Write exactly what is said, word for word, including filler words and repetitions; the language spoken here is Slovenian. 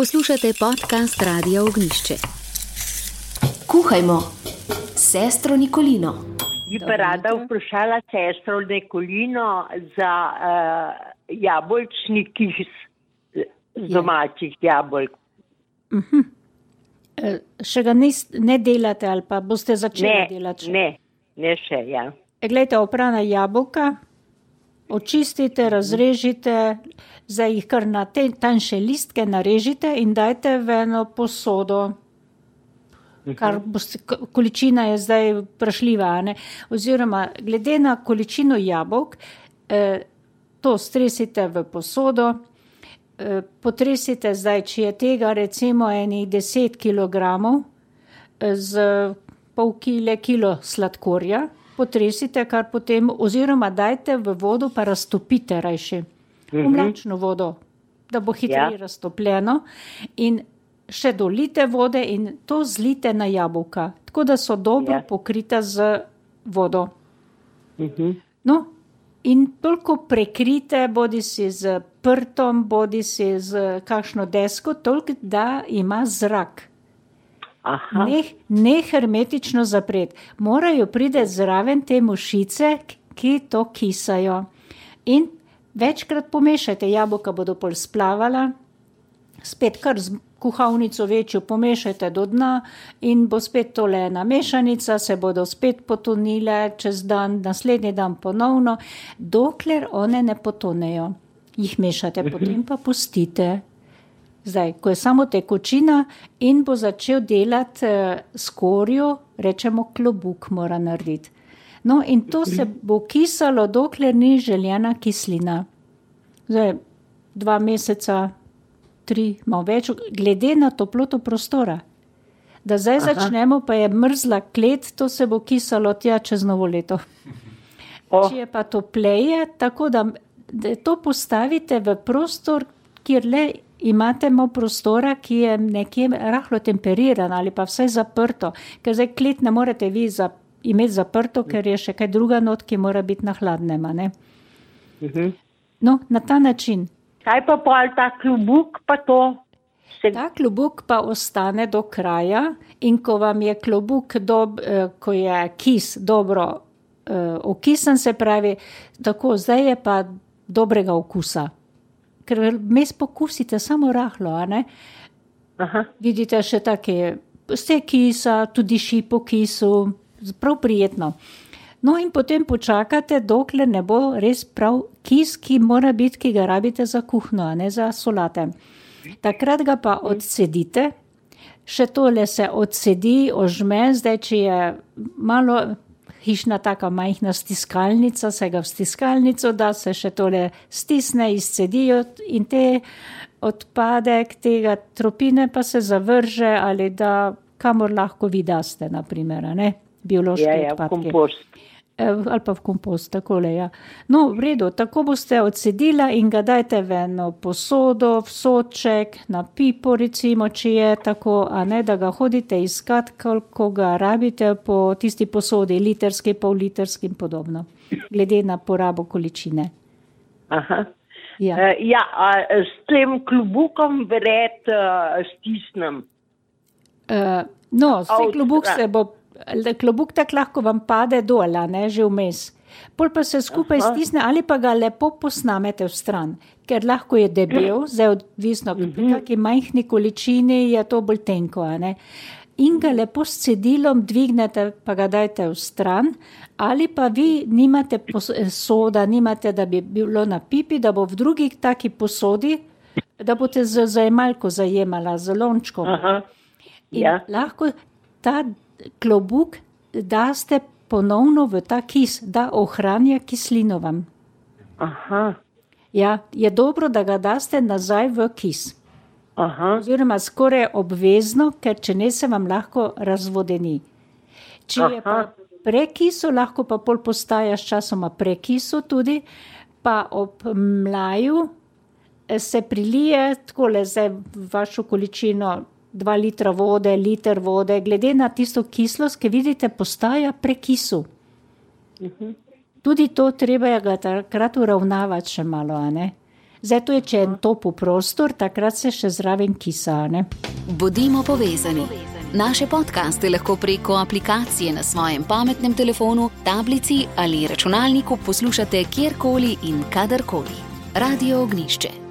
Poslušate podcast Radia Ognjišče. Kuhajmo s sestro Nikolino. Bi pa rada vprašala sestro Nikolino za uh, jabolčni kis z domačih jabolk. Uh-huh. E, še ga nis, ne delate ali pa boste začeli ne, delati? Ne, ne še, ja. E, glejte, oprana jabolka, očistite, razrežite, zdaj jih kar na te tanjše listke narežite in dajte v eno posodo. Kar boste, količina je zdaj vprašljiva, ne? Oziroma, glede na količino jabolk, eh, to stresite v posodo, eh, potresite zdaj, če je tega recimo enih deset kilogramov eh, z pol kile kilo sladkorja, potresite kar potem, oziroma dajte v vodo pa raztopite rajši, v mlačno vodo, da bo hitreje ja. raztopljeno in še dolite vode in to zlite na jabolka, tako da so dobro ja. pokrita z vodo. Uh-huh. No, in toliko prekrite, bodi si z prtom, bodi si z kakšno desko, toliko, da ima zrak. Aha. Ne, ne hermetično zapret. Morajo pride zraven te mušice, ki to kisajo. In večkrat pomešajte, jabolka bodo pol splavala, spet kar z kuhavnico večjo pomešajte do dna in bo spet tole ena mešanica, se bodo spet potonile čez dan, naslednji dan ponovno, dokler one ne potonejo. Jih mešate, potem pa pustite. Zdaj, ko je samo tekočina in bo začel delati eh, skorjo, rečemo klobuk mora narediti. No in to se bo kisalo, dokler ni željena kislina. Zdaj, dva meseca, tri, malo več, glede na toploto prostora. Da zdaj Aha. začnemo, pa je mrzla klet, to se bo kisalo tja čez novo leto. Oh. Če je pa topleje, tako da, da to postavite v prostor, kjer le imate malo prostora, ki je nekje rahlo temperiran ali pa vsaj zaprto, ker zdaj klet ne morete vi za, imeti zaprto, ker je še kaj druga not, ki mora biti na hladnem, ne? Uh-huh. No, na ta način. Kaj pa pol ta klobuk pa to? Se... Ta klobuk pa ostane do kraja in ko vam je klobuk, dob, eh, ko je kis dobro eh, okisan, se pravi, tako zdaj je pa dobrega okusa. Ker mes pokusite samo rahlo, a ne? Aha. Vidite še take vse kisa, tudi ši po kisu, prav prijetno. No in potem počakate, dokler ne bo res prav kis, ki mora biti, ki ga rabite za kuhno, a ne za solate. Takrat ga pa odcedite, še tole se odsedi, ožme, zdaj, če je malo hišna taka majhna stiskalnica, se ga v stiskalnico da, se še tole stisne, izcedijo in te odpadek tega tropine pa se zavrže ali da kamor lahko vi daste, naprimer, ne? Biološke ja, ja, odpadke. Kompost. Ali pa v kompost, takole, ja. No, v redu, tako boste odcedila in ga dajte v eno posodo, v soček, na pipo, recimo, če je tako, a ne, da ga hodite iskat, koliko ga rabite po tisti posodi, literski, pol literski in podobno, glede na porabo količine. Aha. Ja, uh, ja a s tem klobukom vred uh, stisnem. Uh, no, vse klobuk se bo klobuk tak lahko vam pade dol, ne, že vmes. Pol pa se skupaj Aha. stisne ali pa ga lepo posnamete v stran, ker lahko je debel, zdaj odvisno, pri uh-huh. kakšni majhni količini je to bolj tenko, ne. In ga lepo s cedilom dvignete, pa ga dajte v stran, ali pa vi nimate soda, nimate, da bi bilo na pipi, da bo v drugi taki posodi, da boste z zajemalko zajemala, z lončkom. Aha. In ja. lahko ta klobuk daste ponovno v ta kis, da ohranja kislino vam. Aha. Ja, je dobro, da ga daste nazaj v kis. Aha. Oziroma skoraj obvezno, ker če ne se vam lahko razvodeni. Če Aha. je pa prekiso, lahko pa pol postaja s časoma prekiso tudi, pa ob mlaju se prilije takole zdaj vašo količino dva litra vode, liter vode, glede na tisto kislost, ki vidite, postaja prekisu. Uh-huh. Tudi to treba je ga takrat uravnavati še malo, a ne? Zdaj tu je, če je topel prostor, takrat se še zraven kisa, ne? Bodimo povezani. Naše podcaste lahko preko aplikacije na svojem pametnem telefonu, tablici ali računalniku poslušate kjerkoli in kadarkoli. Radio Ognjišče.